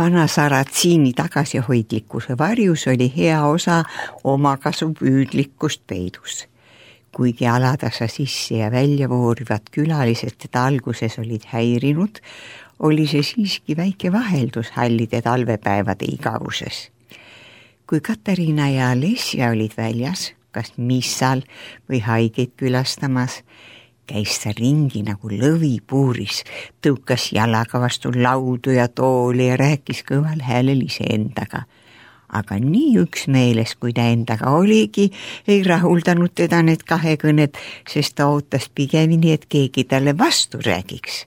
Vana Saratsiini tagasihoidlikkuse varjus oli hea osa omakasupüüdlikkust peidus. Kuigi alatasa sisse ja välja voorivad külalised teda alguses olid häirinud, oli see siiski väike vaheldus hallide talvepäevade igavuses. Kui Katariina ja Alessia olid väljas, kas missal või haigeid külastamas, käis ta ringi nagu lõvi puuris, tõukas jalaga vastu laudu ja tooli ja rääkis kõval häälel iseendaga. Aga nii üksmeeles, kui ta endaga oligi, ei rahuldanud teda need kahekõned, sest ta ootas pigemini, et keegi talle vastu räägiks.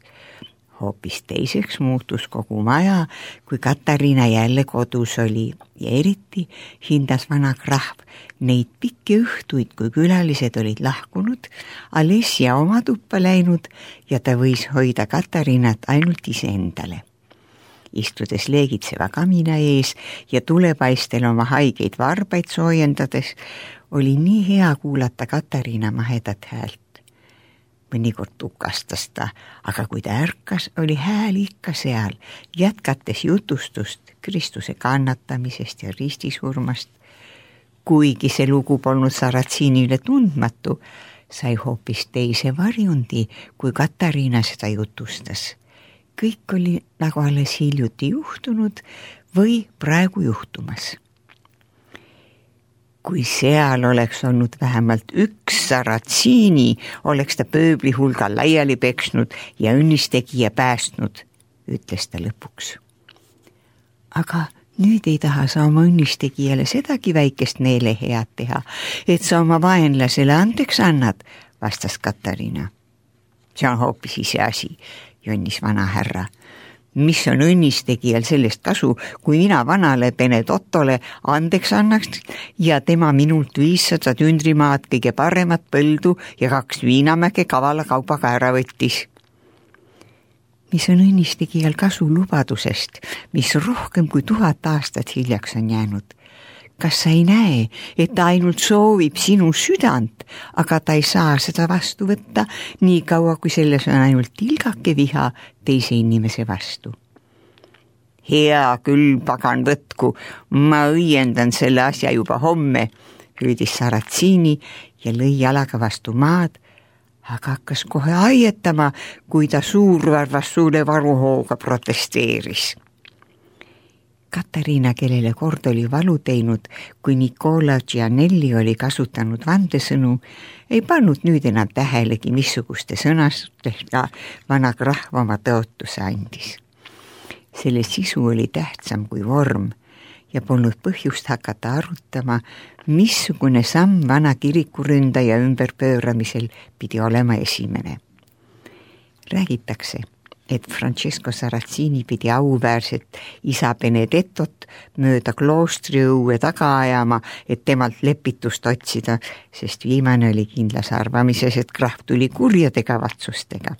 Hoopis teiseks muutus kogu maja, kui Katariina jälle kodus oli ja eriti hindas vana krahv neid pikki õhtuid, kui külalised olid lahkunud, Alessia oma tuppa läinud ja ta võis hoida Katariinat ainult iseendale. Istudes leegitseva kamina ees ja tulepaistel oma haigeid varbaid soojendades, oli nii hea kuulata Katariina mahedat häält. Mõnikord tukastas ta, aga kui ta ärkas, oli hääl ikka seal, jätkates jutustust Kristuse kannatamisest ja ristisurmast. Kuigi see lugu polnud Saratsiinile tundmatu, sai hoopis teise varjundi, kui Katariina seda jutustas. Kõik oli nagu alles hiljuti juhtunud või praegu juhtumas. Kui seal oleks olnud vähemalt üks Saratsiini, oleks ta pööbli hulgal laiali peksnud ja õnnistegija päästnud, ütles ta lõpuks. Aga nüüd ei taha sa oma õnnistegijale sedagi väikest meelehead teha, et sa oma vaenlasele andeks annad, vastas Katariina. See on hoopis ise asi, jonnis vana härra. Mis on õnnistegijal sellest kasu, kui mina vanale Benedottole andeks annaks ja tema minult 500 tündrimaad, kõige paremat põldu ja 2 viinamäge kavala kaubaga ära võttis. Mis on õnnistegijal kasu lubadusest, mis rohkem kui 1000 aastat hiljaks on jäänud? Kas sa ei näe, et ta ainult soovib sinu südant, aga ta ei saa seda vastu võtta nii kaua, kui selles on ainult tilgake viha teise inimese vastu? Hea küll, pagan võtku, ma õiendan selle asja juba homme, hüüdis Saratsiini ja lõi jalaga vastu maad, aga hakkas kohe aietama, kui ta suurvarvas suure varuhooga protesteeris. Katariina, kellele kord oli valu teinud, kui Nicola Gianelli oli kasutanud vandesõnu, ei pannud nüüd enam tähelegi, missuguste sõnastega vana krahv oma tõotuse andis. Selle sisu oli tähtsam kui vorm ja polnud põhjust hakata arutama, missugune samm vana kirikuründaja ümberpööramisel pidi olema esimene. Räägitakse, et Francesco Saratsiini pidi auväärset isa Benedettot mööda kloostri õue taga ajama, et temalt lepitust otsida, sest viimane oli kindlas arvamises, et krahv tuli kurjade kavatsustega.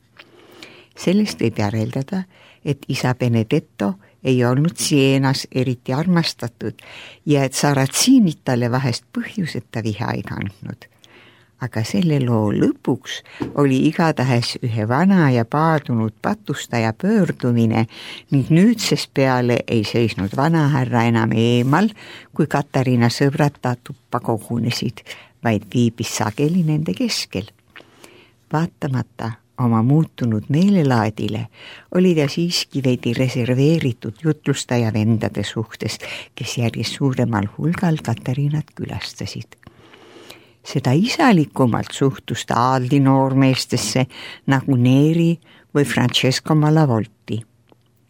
Sellest võib järeldada, et isa Benedetto ei olnud Sienas eriti armastatud ja et Saratsiinid talle vahest põhjuseta viha ei kandnud. Aga selle loo lõpuks oli igatahes ühe vana ja paadunud patustaja pöördumine ning nüüdsest peale ei seisnud vanahärra enam eemal, kui Katariina sõbrad ta tuppa kogunesid, vaid viibis sageli nende keskel. Vaatamata oma muutunud meelelaadile oli ta siiski veidi reserveeritud jutlustaja vendade suhtes, kes järjest suuremal hulgal Katariinat külastasid. Seda isalikumalt suhtus ta aadli noormeestesse nagu Neri või Francesco Malavolti.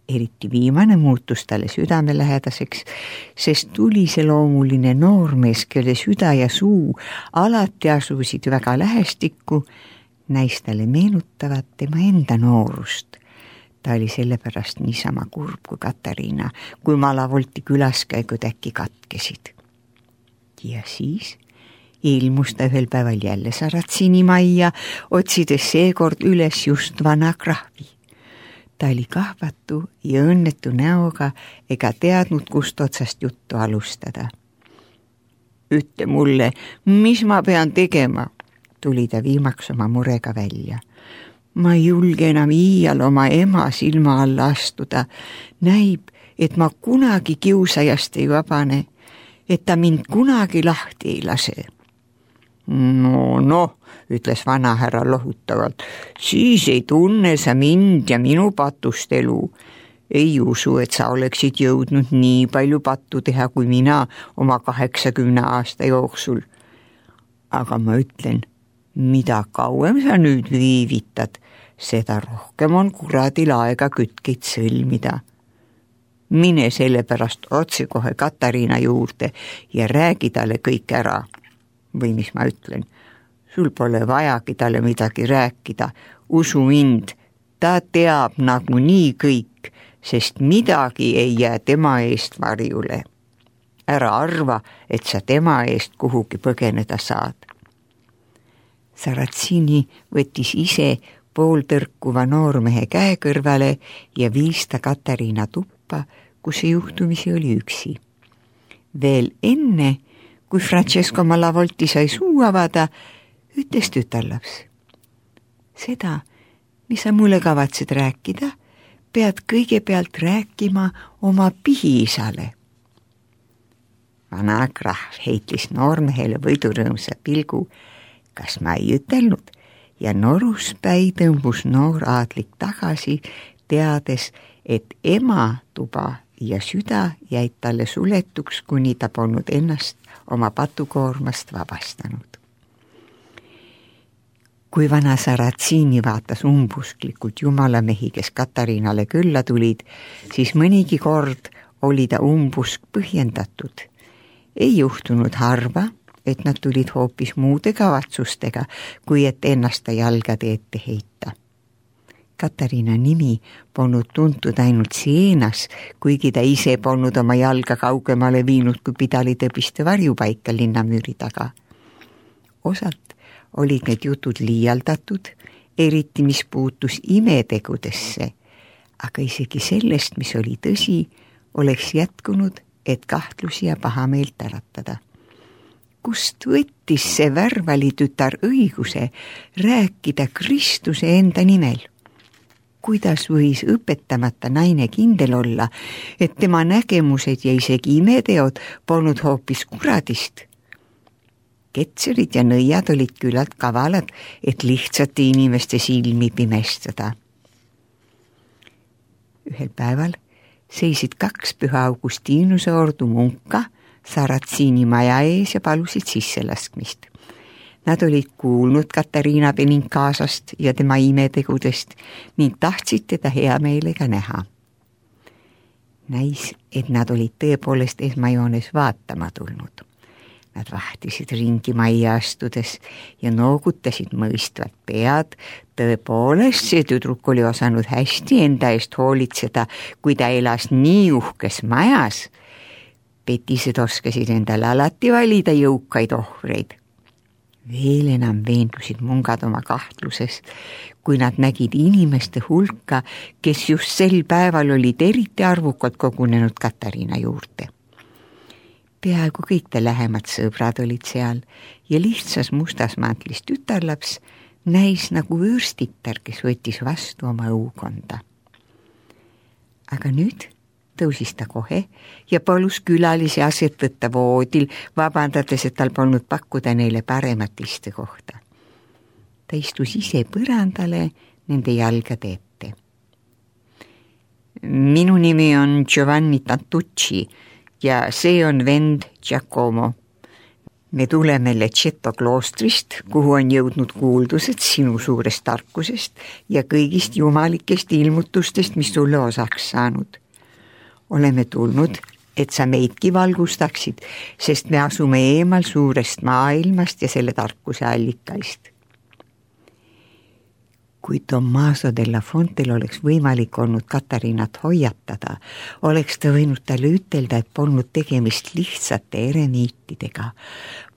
Eriti viimane muutus talle südamelähedaseks, sest tuliseloomuline noormees, kelle süda ja suu alati asusid väga lähestikku, näis talle meenutavat tema enda noorust. Ta oli sellepärast niisama kurb kui Katariina, kui Malavolti külaskäigud äkki katkesid. Ja siis ilmus ta ühel päeval jälle Saratsiini majja, otsides seekord üles just vana krahvi. Ta oli kahvatu ja õnnetu näoga ega teadnud, kust otsast juttu alustada. Ütle mulle, mis ma pean tegema, tuli ta viimaks oma murega välja. Ma ei julge enam iial oma ema silma alla astuda. Näib, et ma kunagi kiusajast ei vabane, et ta mind kunagi lahti ei lase. No, ütles vanahärra lohutavalt, siis ei tunne sa mind ja minu patust elu. Ei usu, et sa oleksid jõudnud nii palju pattu teha kui mina oma 80 aasta jooksul. Aga ma ütlen, mida kauem sa nüüd viivitad, seda rohkem on kuradil aega kütkeid sõlmida. Mine sellepärast otse kohe Katariina juurde ja räägi talle kõik ära. Või mis ma ütlen, sul pole vajagi talle midagi rääkida. Usu mind, ta teab nagunii kõik, sest midagi ei jää tema eest varjule. Ära arva, et sa tema eest kuhugi põgeneda saad. Saracini võttis ise pooltõrkuva noormehe käe kõrvale ja viis ta Katariina tuppa, kus see juhtumisi oli üksi. Veel enne, kui Francesco Malavolti sai suu avada, ütles tütarlaps. Seda, mis sa mulle kavatsed rääkida, pead kõigepealt rääkima oma pihiisale. Vana krahv heitlis noormehele võidurõõmsa pilgu, kas ma ei ütelnud, ja noruspäi tõmbus noor aadlik tagasi, teades, et ema tuba ja süda jäid talle suletuks, kuni ta polnud ennast oma patukoormast vabastanud. Kui vana Saracini vaatas umbusklikult jumalamehi, kes Katariinale külla tulid, siis mõnigi kord oli ta umbusk põhjendatud. Ei juhtunud harva, et nad tulid hoopis muude kavatsustega, kui et ennast jalgade ette heita. Katariina nimi polnud tuntud ainult Sienas, kuigi ta ise polnud oma jalga kaugemale viinud kui pidalitõbiste varjupaika linnamüüri taga. Osalt olid need jutud liialdatud, eriti mis puutus imetegudesse, aga isegi sellest, mis oli tõsi, oleks jätkunud, et kahtlusi ja pahameelt äratada. Kust võttis see värvalitütar õiguse rääkida Kristuse enda nimel? Kuidas võis õpetamata naine kindel olla, et tema nägemused ja isegi imeteod polnud hoopis kuradist? Ketserid ja nõiad olid küllalt kavalad, et lihtsate inimeste silmi pimestada. Ühel päeval seisid 2 Püha Augustinuse ordu munka Saracini maja ees ja palusid sisselaskmist. Nad olid kuulnud Katariina Benincasast ja tema imetegudest ning tahtsid teda hea meelega näha. Näis, et nad olid tõepoolest esmajoones vaatama tulnud. Nad vahtisid ringi majja astudes ja noogutasid mõistvat pead. Tõepoolest, see tüdruk oli osanud hästi enda eest hoolitseda, kui ta elas nii uhkes majas. Petised oskasid endale alati valida jõukaid ohvreid. Veel enam veendusid mungad oma kahtluses, kui nad nägid inimeste hulka, kes just sel päeval olid eriti arvukalt kogunenud Katariina juurde. Peaaegu kõik ta lähemad sõbrad olid seal ja lihtsas mustas mantlis tütarlaps näis nagu vürstitar, kes võttis vastu oma õukonda. Aga nüüd tõusis ta kohe ja palus külalisi aset võtta voodil, vabandades, et tal polnud pakkuda neile paremat istekohta. Ta istus ise põrandale nende jalgade ette. Minu nimi on Giovanni Tantucci ja see on vend Giacomo. Me tuleme Lecceto kloostrist, kuhu on jõudnud kuuldused sinu suurest tarkusest ja kõigist jumalikest ilmutustest, mis sulle osaks saanud. Oleme tulnud, et sa meidki valgustaksid, sest me asume eemal suurest maailmast ja selle tarkuse allikaist. Kui Tommaso della Fontel oleks võimalik olnud Katariinat hoiatada, oleks ta võinud talle ütelda, et polnud tegemist lihtsate eremiitidega,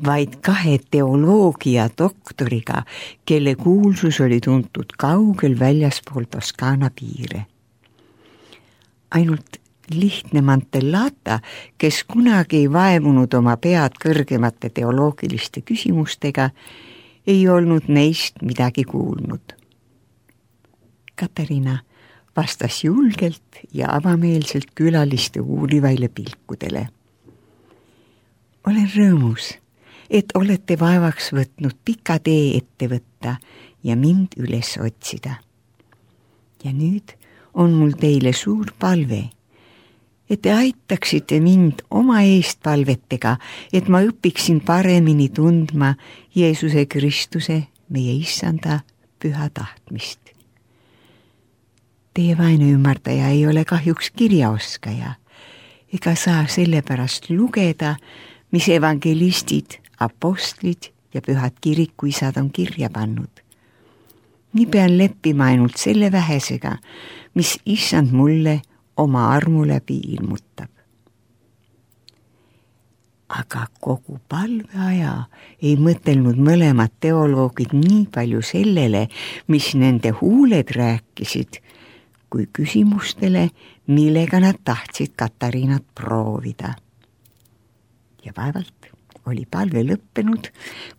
vaid 2 teoloogia doktoriga, kelle kuulsus oli tuntud kaugel väljaspool Toskaana piire. Ainult lihtne Mantellata, kes kunagi ei vaevunud oma pead kõrgemate teoloogiliste küsimustega, ei olnud neist midagi kuulnud. Katariina vastas julgelt ja avameelselt külaliste uurivaile pilkudele. Olen rõõmus, et olete vaevaks võtnud pika tee ette võtta ja mind üles otsida. Ja nüüd on mul teile suur palve, et te aitaksite mind oma eestpalvetega, et ma õpiksin paremini tundma Jeesuse Kristuse, meie Issanda püha tahtmist. Teie vaene ümardaja ei ole kahjuks kirjaoskaja, ega saa sellepärast lugeda, mis evangelistid, apostlid ja pühad kirikuisad on kirja pannud. Nii pean leppima ainult selle vähesega, mis Issand mulle oma armu läbi ilmutab. Aga kogu palveaja ei mõtelnud mõlemad teoloogid nii palju sellele, mis nende huuled rääkisid, kui küsimustele, millega nad tahtsid Katariinat proovida. Ja vaevalt oli palve lõppenud,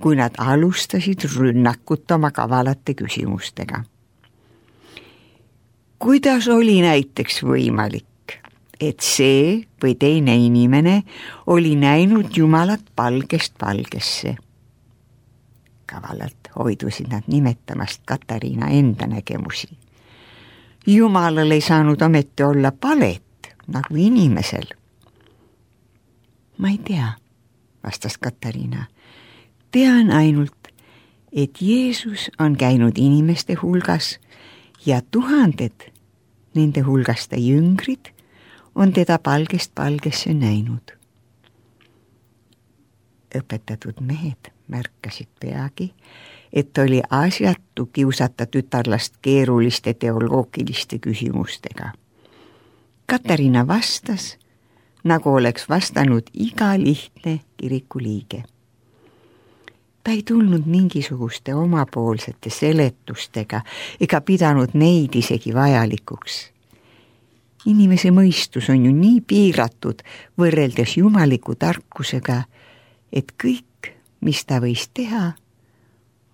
kui nad alustasid rünnakut oma kavalate küsimustega. Kuidas oli näiteks võimalik, et see või teine inimene oli näinud Jumalat palgest palgesse? Kavalalt hoidusid nad nimetamast Katariina enda nägemusi. Jumalal ei saanud ometi olla palet, nagu inimesel. Ma ei tea, vastas Katariina. Tean ainult, et Jeesus on käinud inimeste hulgas ja tuhanded, nende hulgast jüngrid, on teda palgest palgesse näinud. Õpetatud mehed märkasid peagi, et oli asjatu kiusata tütarlast keeruliste teoloogiliste küsimustega. Katariina vastas, nagu oleks vastanud iga lihtne kirikuliige. Ta ei tulnud mingisuguste omapoolsete seletustega ega pidanud neid isegi vajalikuks. Inimese mõistus on ju nii piiratud võrreldes jumaliku tarkusega, et kõik, mis ta võis teha,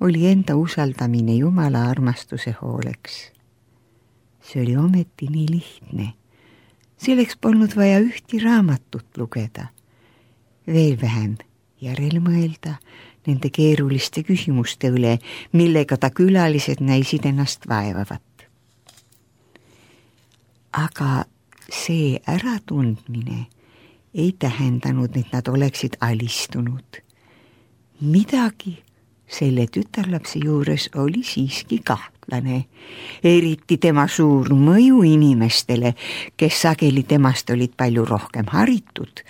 oli enda usaldamine Jumala armastuse hooleks. See oli ometi nii lihtne. Selleks polnud vaja ühti raamatut lugeda, veel vähem järele mõelda nende keeruliste küsimuste üle, millega ta külalised näisid ennast vaevavat. Aga see äratundmine ei tähendanud, et nad oleksid alistunud. Midagi selle tütarlapse juures oli siiski kahtlane, eriti tema suur mõju inimestele, kes sageli temast olid palju rohkem haritud,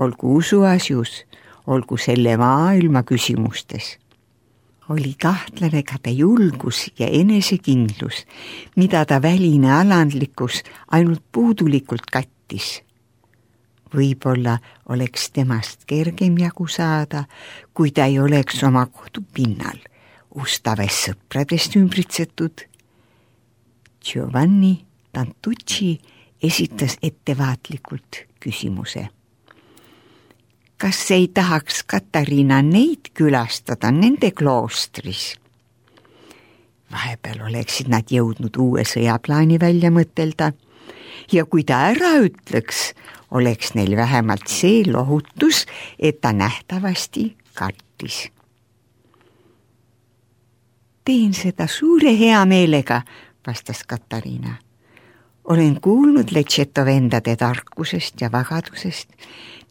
olgu usuasjus, olgu selle maailma küsimustes. Oli kahtlane ka ta julgus ja enesekindlus, mida ta väline alandlikkus ainult puudulikult kattis. Võib-olla oleks temast kergem jagu saada, kui ta ei oleks oma kodupinnal, ustaves sõpradest ümbritsetud. Giovanni Tantucci esitas ettevaatlikult küsimuse. Kas ei tahaks Katariina neid külastada nende kloostris? Vahepeal oleksid nad jõudnud uue sõjaplaani välja mõtelda ja kui ta ära ütleks, oleks neil vähemalt see lohutus, et ta nähtavasti kartis. Teen seda suure hea meelega, vastas Katariina. Olen kuulnud Lecceto vendade tarkusest ja vagadusest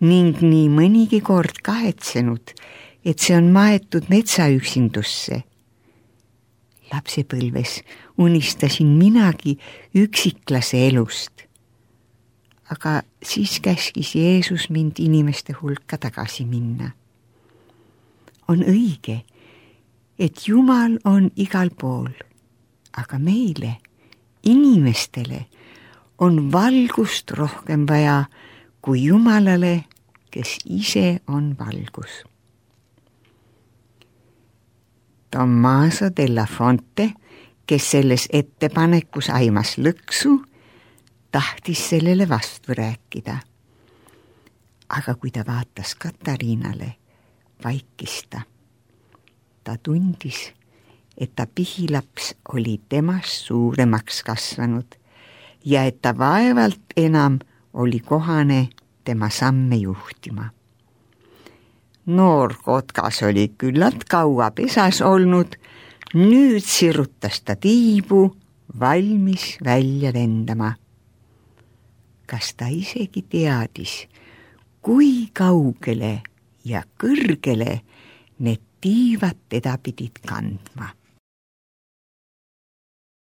ning nii mõnigi kord kahetsenud, et see on maetud metsaüksindusse. Lapsepõlves unistasin minagi üksiklase elust. Aga siis käskis Jeesus mind inimeste hulka tagasi minna. On õige, et Jumal on igal pool, aga meile, inimestele, on valgust rohkem vaja kui Jumalale, kes ise on valgus. Tommaso della Fonte, kes selles ettepanekus aimas lõksu, tahtis sellele vastu rääkida. Aga kui ta vaatas Katariinale, vaikis ta. Ta tundis, et ta pihilaps oli temast suuremaks kasvanud, ja et ta vaevalt enam oli kohane tema samme juhtima. Noor kotkas oli küllalt kaua pesas olnud, nüüd sirutas ta tiibu, valmis välja lendama. Kas ta isegi teadis, kui kaugele ja kõrgele need tiivad teda pidid kandma?